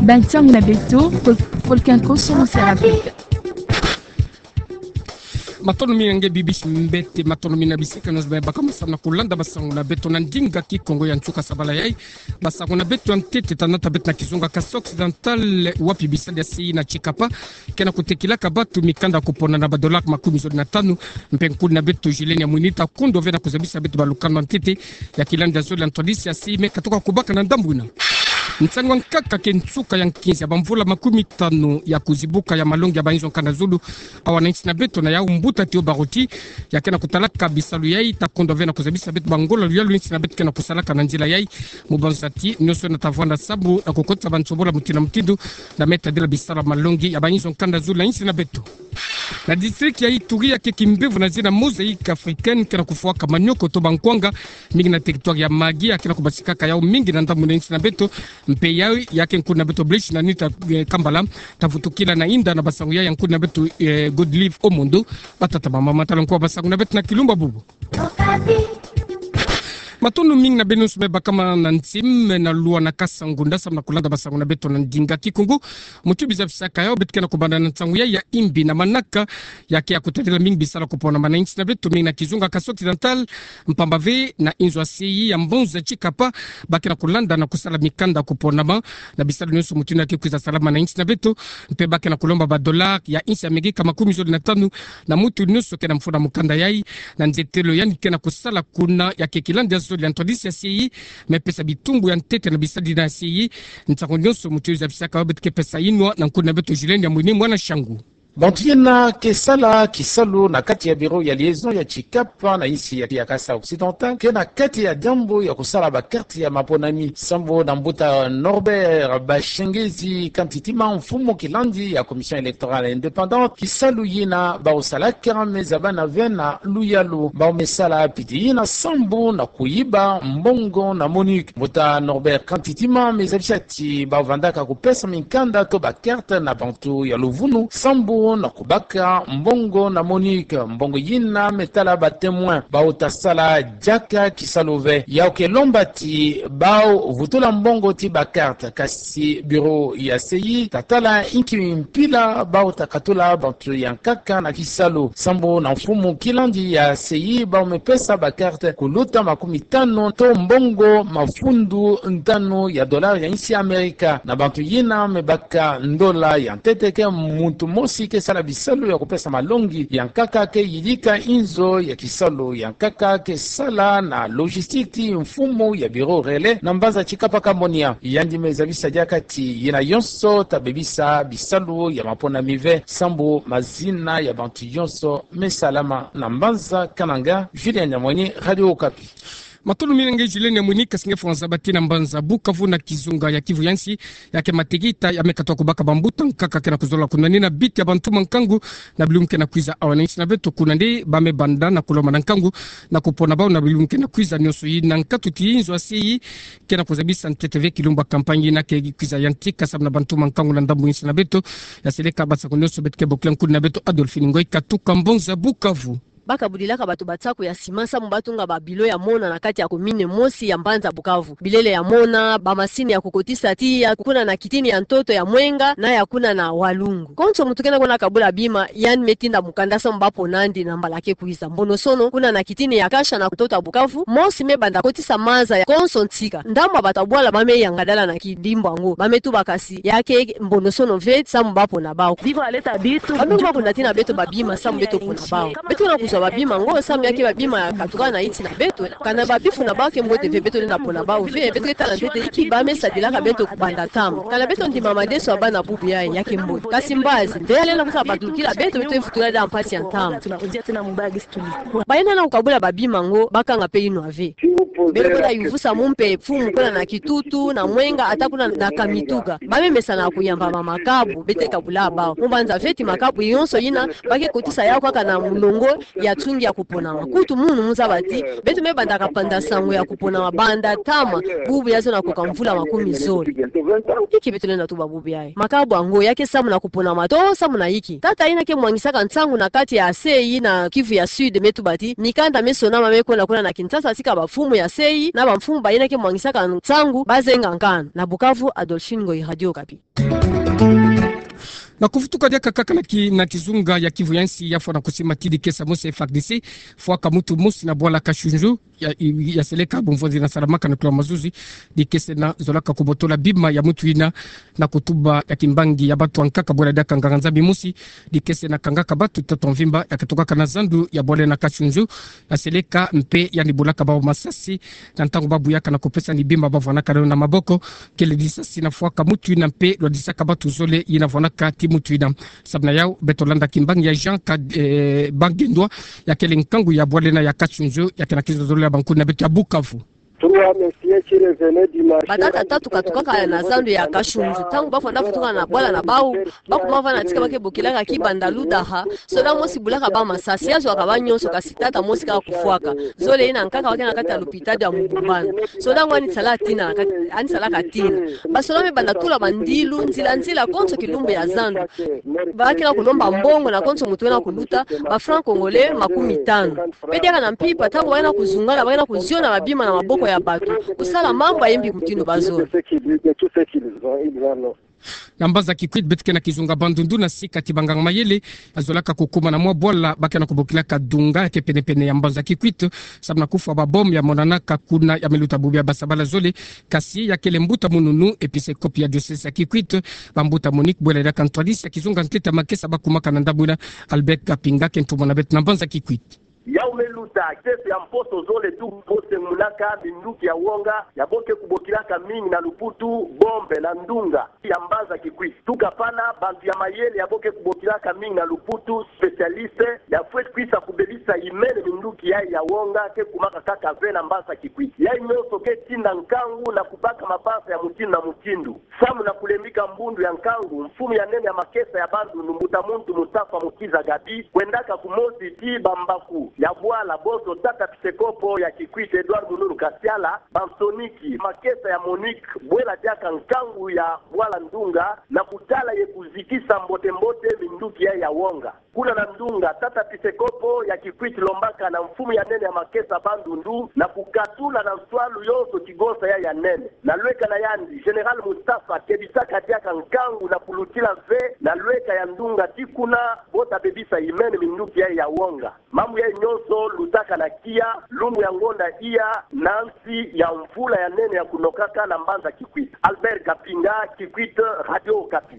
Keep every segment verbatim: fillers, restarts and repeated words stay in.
Ba nsangu na beto, Volcan Konso Monsera Afrika. Matondo mingi nge bibisi mbete, matondo mingi na bisika nyonso baka masamu na kulanda basangu na beto na ndinga Kikongo ya nsuka sabala yai. Basangu na beto ya ntete ta nata beto na kizunga Kasaï Occidental, wapi bisadi ya C I na Tshikapa ke na kutekilaka bato mikanda ya kupona na ba dollars makumi zole na tanu, mpe nkuni na beto Julienne Mwini ta kondo ve na kuzabisa beto ba lukanu ya ntete ya kilandi ya zole ya ntwadisi ya C I me katuka kubaka na ndambu ina. Nsangu ya nkaka ke nsuka ya nkinzi ya bamvula makumi tanu ya kuzibuka ya malongi ya ba inzo ya nkanda zulu awa na insi na beto, na yau mbuta Théo Baroti, ya ke na kutalaka bisalu yai, ta kondo ve na kuzabisa beto bangola luyalu insi na beto ke na kusalaka na nzila yai. Mubanzati nyonso na ta vwanda sambu na kukotisa bansobola mutindu na mutindu, na me tadila bisalu ya malongi ya ba inzo ya nkanda zulu na insi na beto. Na district ya Ituri, ya ke kimbevo na zina Mosaïque Africaine ke na kufwaka manioko to bankwanga mingi na territoire ya Magui, ya ke na kubasikaka yau mingi na ndambu na insi na beto, mpe yau ya ke nkuni na beto Blaise na Anita, eh, Kambala, ta vutukila na inda na basangu yai ya nkuni na beto, eh, Godlive Omondo. Batata, bamama, tala nko basangu na beto na kilumbu bubu. Matondo mingi na beno nyonso me bakama na ntim, na lwa na kasa ngunda samu na kulanda basangu na beto na ndinga Kikongo. Muti biza bisaka yau, beto ke na kubanda na nsangu yai ya imbi na manaka, ya ke ya kutadila mingi bisalu ya kuponama na insi na beto, mingi na kizunga Kasaï Occidental, mpamba ve na inzo ya C I ya mbanza Tshikapa, ba ke na kulanda na kusala mikanda ya kuponama na bisalu nyonso mutindu ya ke kwiza salama na insi na beto, mpe ba ke na kulomba ba dollars ya insi ya Amerika makumi zole na tanu na mutu nyonso ke na mfunu ya mukanda yai, na nzietelo yandi ke na kusala kuna ya ke kilandi ya zole ya ntwadisi ya C I, me pesa bitumbu ya ntete na bisadi na C I. Nsangu nyonso muti biza bisaka yau, beto ke pesa inwa na nkuni na beto Julienne Mwini, mwana Shangu. Bantu yina ke sala kisalu na kati ya bureau ya liaison ya Tshikapa na insi ya, ya Kasaï Occidental ke na kati ya diambu ya kusala ba carte ya maponami, sambu na mbuta Norbert Bashengezi Kantitima, mfumu kilandi ya Commission électorale indépendante. Kisalu yina bau salaka me zabana ve na luyalu, bau me sala piti yina sambu na kuyiba mbongo na MONUC. Mbuta Norbert Kantitima me zabisa ti bau vandaka kupesa minkanda to ba carte na bantu ya luvunu sambu na kubaka mbongo na MONUC. Mbongo yina, me tala ba témoins, bau ta sala diaka kisalu ve. Yau ke lomba ti bau vutula mbongo ti ba carte, kasi bureau ya C I ta tala inki mpila bau ta katula bantu ya nkaka na kisalu, sambu na mfumu kilandi ya C I bau me pesa ba carte kuluta makumi tanu to mbongo mafundu tanu ya dollars ya insi ya Amerika na bantu yina me baka ndola ya ntete. Ke muntu mosi ke sala bisalu ya kupesa malongi ya nkaka ke yidika inzo ya kisalu ya nkaka ke sala na logistique ti mfumu ya bureau relais na mbanza Tshikapa Kamonia. Yandi me zabisa diaka ti yina yonso ta bebisa bisalu ya maponami ve sambu mazina ya bantu yonso me salama. Na mbanza Kananga, Julien Nyamweni, Radio Okapi. Matondo mingi nge Julienne Mwini, kasi nge fwanza bati na mbanza Bukavu na kizunga ya Kivu ya nsi, ya ke matekita ya me katuka kubaka bambuta nkaka ke na kuzola kunwanina biti ya bantu mankangu na bilumbu ke na kwiza. Awa na insi na beto kuna nde ba me banda na kulomba na nkangu na kupona bau na bilumbu ke na kwiza. Nyonso yina nkatu ti inzo ya C I ke na kuzabisa ntete ve kilumbu ya campagne yina ke kwiza yantika samu na bantu mankangu na ndambu insi na beto. Ya seleka basaku nyonso, beto ke bokila nkuni na beto Adolphine Ngoy katuka mbanza Bukavu. Ba kabulilaka bato basaku ya sima samu ba tunga ba bilo ya mona na kati ya commune mosi ya mbanza Bukavu. Bilele ya mona, ba masini ya kukotisa tiya, kuna na kitini ya ntoto ya Mwenga na ya kuna na Walungu. Konso muntu kena kona kabula bima, yandi me tinda mukanda samu ba pona yandi na mbala ke kwiza. Mbonosono, kuna na kitini ya Kasha na ntoto ya Bukavu, mosi me banda kotisa maza ya konso nsika. Ndambu ya bato ya bwala ba me yangadala na kidimbu yango, ba me tuba kasi ya ke mbonosono ve samu ba pona bau. Ba me kuma kunatina beto babima samu beto pona bau. Beto na kuzwa babima yango samu ya ke babima ya katuka na insi na beto. Kana babifu na bau ke mbote ve, beto lenda pona bau ve. Beto ke tala ntete inki ba me sadilaka beto kubanda ntama. Kana beto ndima madeso ya bana bubu yayi, ya ke mbote. Kasi mbazi, nde ya lenda kusa batulukila beto, beto ke vutula da mpasi ya ntama. Bayina na kukabula babima yango, ba kanga mpe inwa ve. Beto kwenda yuvusa mu mpe mfumu kuna na Kitutu, na Mwenga, ata kuna na Kamituga. Ba me mesana kuyamba ma makabu, beto ke kabula bau. Mu banza ve ti makabu yonso yina, ba ke kotisa yau kaka na mulongo ya nsungi ya kuponama. Kutu munu mu zaba ti, beto me bandaka panda nsangu ya kuponama banda ntama, bubu ya zona koka mvula makumi zole. Inki beto lenda tuba bubu yayi? Makabu yango ya ke samu na kuponama to samu na inki? Tata yina ke mwangisaka nsangu na kati ya C I na Kivu ya Sud me tuba ti, mikanda me sonama me kwenda kuna na Kinshasa tika bamfumu ya Sei na bamfumu bayina ke mwangisaka nsangu bazenga nkanu. Na Bukavu, Adolphine Ngoyi, Radio Okapi. Na kuvutuka diaka kaka na ki-, na kizunga ya Kivu ya nsi, ya fwana kusimatidi kesa mosi F A R D C fwaka mutu mosi na bwala Kashunju, ya, ya seleka Bumvonzi na Saramaka na kilo mazuzi, dikese na zolaka kubotola bima ya mutu ina na kutuba ya kimbangi ya batu ankaka bwala diaka nganga-nzambi mosi, dikese na kangaka batu ntoto mvimba ya katokaka na zandu ya bwala na Kashunju, ya seleka mpe yandi bolaka bawu masasi, na ntangu babuyaka na kupesani bima bavwanaka na maboko, kele lisasi na fwaka mutu ina mpe lwadisaka batu zole yina vwanaka ti mutu ina. Samu na yawu, beto landa kimbangi ya Jean Ka-, eh, Bangendwa, ya kele nkangu ya bwala ina ya Kashunju, ya ke na kizozolo ya bankuni na beto ya Bukavu. Batata tatu katukaka na zandu ya Kashunju. Ntangu bafwana vutuka na bwala na bawu, bakuma vana tika ba ke bokilaka Kibanda Ludaha, soda mosi bulaka bawu masasi, ya zwaka bawu nyonso, kasi tata mosi kaka kufwaka. Zole yina nkaka wa ke na kati ya lupitalu ya Mubumbana. Soda ngo ani sala tina, ka-, ani salaka tina. Basoda me banda tula bandilu nzila nzila konso kilumbu ya zandu. Ba ke na kulomba mbongo na konso mutu wena kuluta, ba francs congolais makumi tanu. Mpe diaka na mpimpa, ntangu ba ke na kuzungana, ba ke na kuziona babima na maboko ya batu, kusala mambu ya mbi mutindu bazolo. Na mbanza Kikwit, beto ke na kizunga Bandundu, na sika ti banganga mayele, ya zolaka kukuma na mwa bwala ba ke na kubokilaka Dunga, ya ke pene-pene ya mbanza Kikwit, samu na kufwa ba bombe ya monanaka kuna, ya me luta bubu ya basabala zole, kasi ya kele mbuta mununu, episkopo ya diosese ya Kikwit, bambuta Monique Bwela diaka ntwadisi ya kizunga ntete ya makesa bakumaka na ndambu ina. Albert Kapinga ke ntumwa na beto na mbanza Kikwit. Yawu me luta, kesi ya mposo zole tu bo sengumunaka minduki ya wonga, ya bo ke kubokilaka mingi na luputu bombe na ndunga ya mbanza Kikwit. Tuka pana, bantu ya mayele ya bo ke kubokilaka mingi na luputu, spécialiste, ya fweti kwisa kubebisa imene minduki yayi ya wonga ke kumaka kaka ve na mbanza Kikwit. Yayi nyonso ke tinda nkangu na kubaka mabanza ya mutindu na mutindu. Samu na kulembika mbundu ya nkangu, mfumu ya nene ya makesa ya Bandundu, mbuta muntu Mustafa Mukiza Gabi, kwendaka kumosi ti bambaku ya bwala, bonso tata episkopo ya Kikwit Edouard Mununu Kasiala, bansoniki makesa ya Monique Bwela diaka nkangu ya bwala Ndunga, na kutala ye kuzikisa mbote-mbote minduki yayi ya wonga. Kuna na Ndunga, tata episkopo ya Kikwit lombaka na mfumu ya nene ya makesa Bandundu na kukatula na nswalu yonso kigonsa yayi ya nene. Na lweka na yandi, Général Mustafa kebisaka diaka nkangu na kulutila ve na lweka ya Ndunga ti kuna bo ta bebisa imene minduki yayi ya wonga. Mambu yayi nyonso lutaka na tiya lumbu ya ngonda iya na nsi ya mvula ya nene ya kunokaka na mbanza Kikwit. Albert Kapinga, Kikwit, Radio Okapi.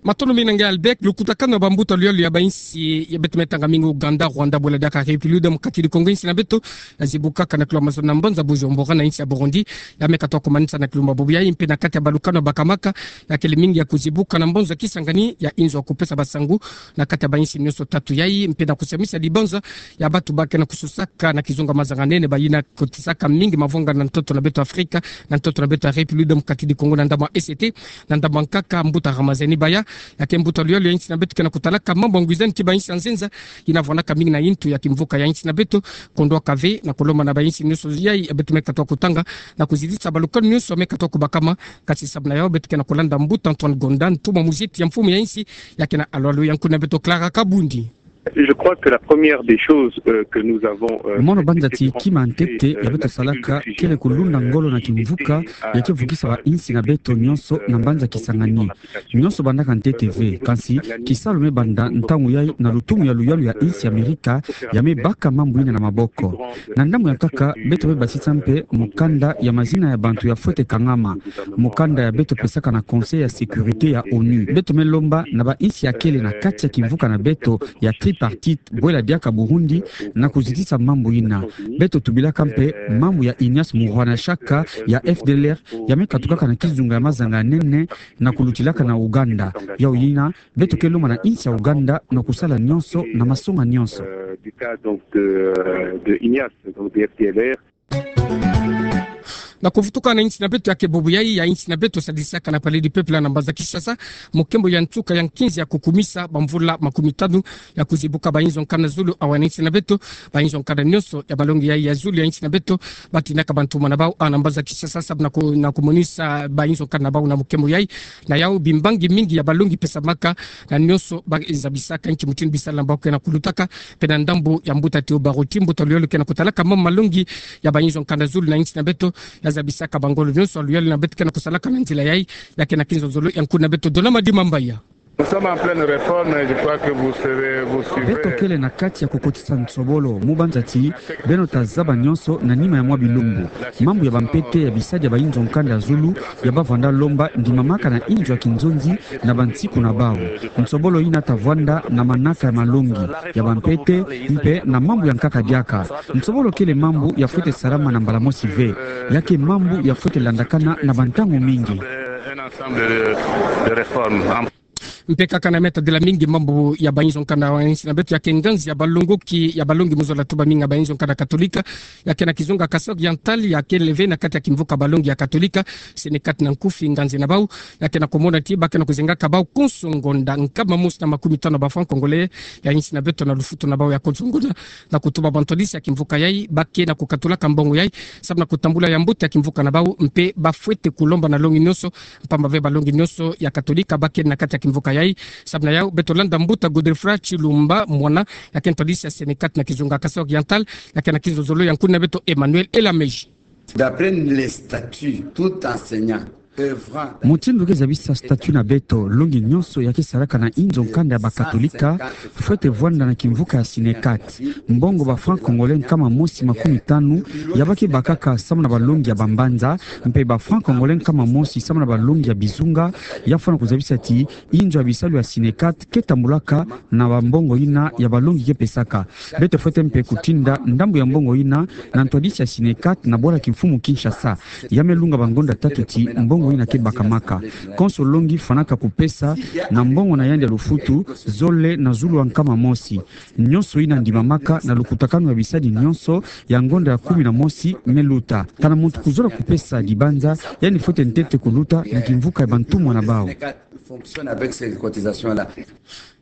Matondo mingi na nge Albert. Lukutakanu ya bambuta luyalo ya bainsi ya beto me tanga mingi, Ouganda, Rwanda, bwela diaka République Démocratique du Congo, insi na beto ya zibukaka na kilo mazono na mbanza Bujumbura, na insi ya Burundi, ya me katuka kumanisa na kilo mabobo yayi, mpe na kati ya balukanu ya bakamaka, ya kele mingi ya kuzibuka na mbanza Kisangani, ya inzo ya kupesa basangu na kati ya bainsi nyonso tatu yayi, mpe na kusamisa dibanza ya batu ba ke na kususaka na kizunga mazanga nene, bayina kotisaka mingi mavonga na ntoto na beto Afrika, na ntoto na beto ya République Démocratique du Congo, na ndambu ya E C T, na ndambu ya nkaka mbuta Ramazani Baya, ya ke mbuta luyalo ya insi na beto ke na kutalaka mambu ya ngwizani ti bainsi ya nzenza, yina vwanaka mingi na yintu ya kimvuka ya insi na beto, kondwaka ve na kulomba na bainsi nyonso yayi ya beto me katuka kutanga, na kuzitisa balukanu nyonso me katuka kubakama, kasi samu na yawu beto ke na kulanda mbuta Antoine Gonda, ntumwa muziti ya mfumu ya insi, ya ke na alwalu ya nkuna beto Clara Kabundi. Je crois que la première des choses, euh, que nous avons, euh, mono banza ti kima ntete ya beto salaka kele kulunda ngolo na kimvuka ya ke vukisa bainsi na beto nyonso na mbanza Kisangani. Nyonso bandaka ntete ve, kansi kisalu me banda ntangu yayi na lutumu ya luyalo ya insi ya Amerika, ya me baka mambu yina na maboko. Na ndambu ya nkaka, beto me basisa mpe mukanda ya mazina ya bantu ya fwete kangama, mukanda ya beto pesaka na Conseil ya Sécurité ya ONU. Beto me lomba na bainsi ya kele na kati ya kimvuka na beto ya tripartite, bwela diaka Burundi, na kuzitisa mambu yina. Beto tubilaka mpe mambu ya Ignace Muhwanashaka ya F D L R, ya me katukaka na kizunga ya mazanga nene, na kulutilaka na Ouganda. Yawu yina, beto ke lomba na insi ya Ouganda na kusala nyonso na masonga nyonso. Euh, du cas, donc, de, de Ignace, donc, de F D L R. Na kuvutuka na insi na beto ya ke bubu yai ya insi na beto, sadisaka na Palais du Peuple na mbanza Kinshasa, mokembo ya nsuka ya nkinzi ya kukumisa bamvula makumi tanu ya kuzibuka bainzo nkanda zulu awa na insi na beto. Bainzo nkanda nyonso ya balongi yai ya zulu ya insi na beto, batinaka bantumwa na bau awa na mbanza Kinshasa, sabu na ku-, na kumonisa bainzo nkanda na bau na mokembo yai. Na yau, bimbangi mingi ya balongi pesamaka na nyonso ba-, zabisaka nki mutindu bisalu na bau ke na kulutaka. Mpe na ndambu ya mbuta Théo Baroti, mbuta luyolo ke na kutalaka mambu malongi ya bainzo nkanda zulu na insi na beto, ya zabisaka bangolo nyonso ya luyolo na beto ke na kusalaka na nzila yai, ya ke na kinzonzolo ya nkundi na beto Donama Dimambaya. Nous sommes en pleine réforme, je crois que vous serez, vous suivrez. Beto kele na kati ya kukotisa nsobolo, mu banza ti beno ta zaba nyonso na nima ya mwa bilumbu. Mambu ya bampete ya bisadi ya bainzo nkanda zulu ya bavanda lomba ndimamaka na inzo ya kinzonzi na bansiku na bau. Nsobolo yina ta vwanda na manaka ya malongi, ya bampete, mpe na mambu ya nkaka diaka. Nsobolo kele mambu ya fwete salama na mbala mosi ve. Ya ke mambu ya fwete landakana na bantangu mingi. Un ensemble de, de réformes. Mpe kaka na meta dila mingi mambu ya bainzo nkanda wa insi na beto, ya ke nganzi ya balongoki ya balongi mu zola tuba mingi ya bainzo nkanda Katolika, ya ke na kizunga Kasaï Oriental, ya kele ve na kati ya kimvuka balongi ya Katolika, Synecat na nkufi, nganzi na bau, ya ke na kumona ti ba ke na kuzengaka bau konso ngonda nkama mosi na makumi tanu ba francs congolais ya insi na beto na lufutu na bau ya konso ngonda, na kutuba bantwadisi ya kimvuka yai ba ke na kukatulaka mbongo yai, sabu na kutambula ya mbote ya kimvuka na bau, mpe ba fwete kulomba na longi nyonso, mpamba ve balongi nyonso ya Katolika ba ke na kati ya kimvuka yai. Sabu na yau, beto landa mbuta Godefroid Tshilumba Mwana, ya ke ntwadisi ya Synecat na kizunga Kasaï Oriental, ya ke na kinzonzolo ya nkundi na beto Emmanuel Elameji. D'après les statuts, tout enseignant œuvrant. Mutindu ke zabisa statut na beto, longi nyonso ya ke salaka na inzo nkanda ya Bakatolika fwete vwanda na kimvuka ya Synecat. Mbongo ba francs congolais nkama mosi makumi tanu ya ba ke bakaka samu na balongi ya bambanza, mpe ba francs congolais nkama mosi samu na balongi ya bizunga, ya fwana kuzabisa ti inzo ya bisalu ya Synecat ke tambulaka na bambongo yina ya balongi ke pesaka. Beto fwete mpe kutinda ndambu ya mbongo yina na ntwadisi ya Synecat na bwala kimfumu Kinshasa. Ya me lunga bangonda tatu ti mbongo yina ke bakamaka. Konso longi fwanaka kupesa na mbongo na yandi ya lufutu zole na zulu wa nkama mosi. Nyonso yina ndimamaka na lukutakanu ya bisadi nyonso ya ngonda ya kumi na mosi me luta. Kana muntu kuzola kupesa dibanza, yandi fwete ntete kuluta na kimvuka ya bantumwa na bau. Fonctionne avec ces cotisations-là.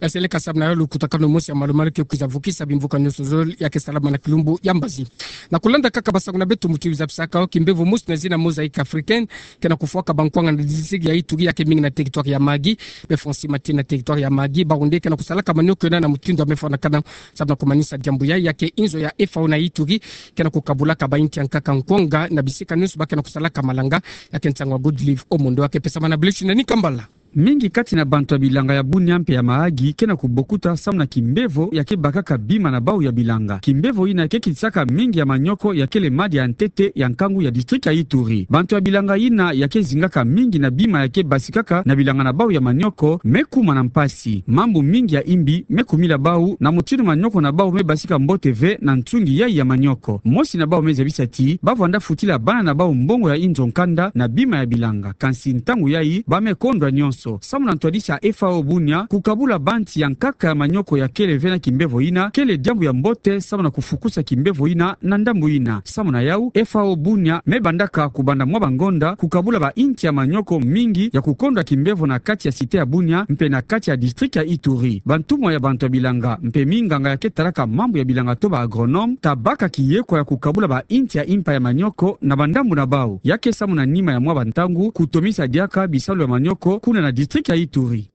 Ya seleka samu na yo lukutakanu mosi ya malu-malu ke kwiza vukisa bimvuka nyonso zole ya ke salama na kilumbu ya mbazi. Na kulanda kaka basango na beto, mutindu zabisaka yo, kimbevo mosi na zina Mosaïque Africaine ke na kufwaka bankwanga na district ya Ituri, ya ke mingi na territoire ya Mahagi, be Francis Mati na territoire ya Mahagi, bawu nde ke na kusalaka manioko yina na mutindu ya me fwanakana. Samu na kumanisa diambu yai, ya ke inzo ya F A O na Ituri ke na kukabulaka bainti ya nkaka nkwanga na bisika nyonso ba ke na kusalaka malanga, ya ke nsangu ya Godlive Omondo, ya ke pesama na Blessing na Nikambala. Mingi kati na bantu ya bilanga ya Bunia mpe ya Mahagi ke na kubokuta samu na kimbevo ya ke bakaka bima na bau ya bilanga. Kimbevo yina ke kitisaka mingi ya manioko ya kele madi ya ntete ya nkangu ya district ya Ituri. Bantu ya bilanga yina ya ke zingaka mingi na bima ya ke basikaka na bilanga na bau ya manioko me kuma na mpasi. Mambu mingi ya imbi me kumila bau na mutindu manioko na bau me basika mbote ve na nsungi yai ya manioko. Mosi na bau me zabisa ti ba vwanda futila bana na bau mbongo ya inzo nkanda na bima ya bilanga. Kansi ntangu yai ba me kondwa nyonso. Samu na ntwadisi ya F A O Bunia, kukabula banti ya nkaka ya manioko ya kele ve na kimbevo yina kele diambu ya mbote samu na kufukusa kimbevo yina na ndambu yina. Samu na yau, F A O Bunia me bandaka kubanda mwa bangonda kukabula bainti ya manioko mingi ya kukondwa kimbevo na kati ya cité ya Bunia mpe na kati ya district ya Ituri. Bantumwa ya bantu ya bilanga mpe minganga ya ke talaka mambu ya bilanga to ba agronome ta baka kiyekwa ya kukabula bainti ya impa ya manioko na bandambu na bau. Ya ke samu na nima ya mwa bantangu kutomisa diaka bisalu ya manioko kuna na district ya Ituri.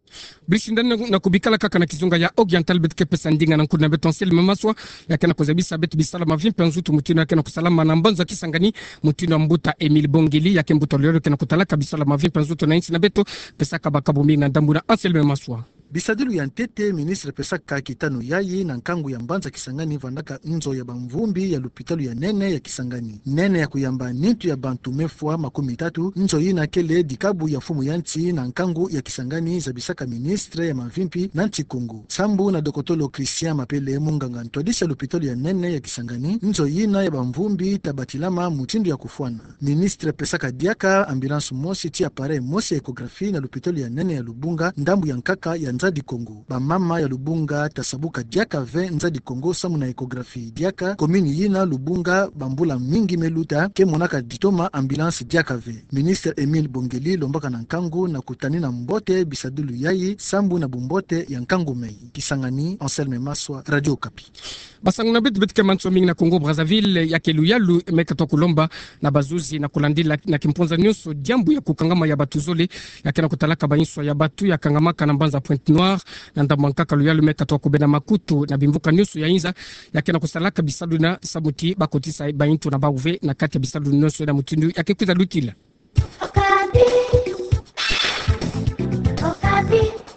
Blessing na, na kubikala kaka na kizunga ya Oriental, beto ke pesa ndinga na nkundi na beto Anselme Maswa, ya ke na kuzabisa beto bisalu ya mavimpi ya nzutu mutindu ya ke na kusalama na mbanza Kisangani, mutindu ya mbuta Émile Bongeli, ya ke mbuta luyolo ke na kutalaka bisalu ya mavimpi ya nzutu na insi na beto. Pesaka bakabu mingi na ndambu na Anselme Maswa. Bisadilu ya ntete, ministre pesaka kitanu yai na nkangu ya mbanza Kisangani vandaka nzo ya bamvumbi ya lupitalu ya nene ya Kisangani. Nene ya kuyamba nitu ya bantu me fwa makumi tatu, nzo yina kele dikabu ya mfumu ya nsi na nkangu ya Kisangani, zabisaka ministre ya mavimpi na nsi Kongo. Sambu na dokotolo Christian Mapele, munganga ntwadisi ya lupitalu ya nene ya Kisangani, nzo yina ya bamvumbi ta batilama mutindu ya kufwana. Ministre pesaka diaka ambulance mosi ti appareil mosi ya échographie na lupitalu ya nene ya Lubunga, ndambu ya nkaka ya Nzadi Kongo. Bamama ya Lubunga ta sabuka diaka ve Nzadi Kongo samu na échographie. Diaka commune yina Lubunga bambula mingi me luta ke monaka ditoma ambulance diaka ve. Ministre Émile Bongeli lombaka na nkangu na kutanina mbote bisadulu yayi sambu na bumbote ya nkangu mei. Kisangani, Anselme Maswa, Radio Okapi. Basangu na beto, beto ke mansoni mingi na Congo Brazzaville, ya ke luyalu me katoa kulomba na bazuzi na kulandila na kimpunza nionso diambu ya kukangama ya bato zole, ya ke na kutalaka banswa ya bato ya kangamaka na mbanza Pointe-Noire, na ndambu nkaka luyalu me katoa kubena makutu na bimvuka nionso ya inza, ya ke na kusalaka bisalu na samu ti bakotisa bainto na bau ve na kati ya bisalu nionso na mutindu ya ke kwiza lutila. Okapi. Okapi.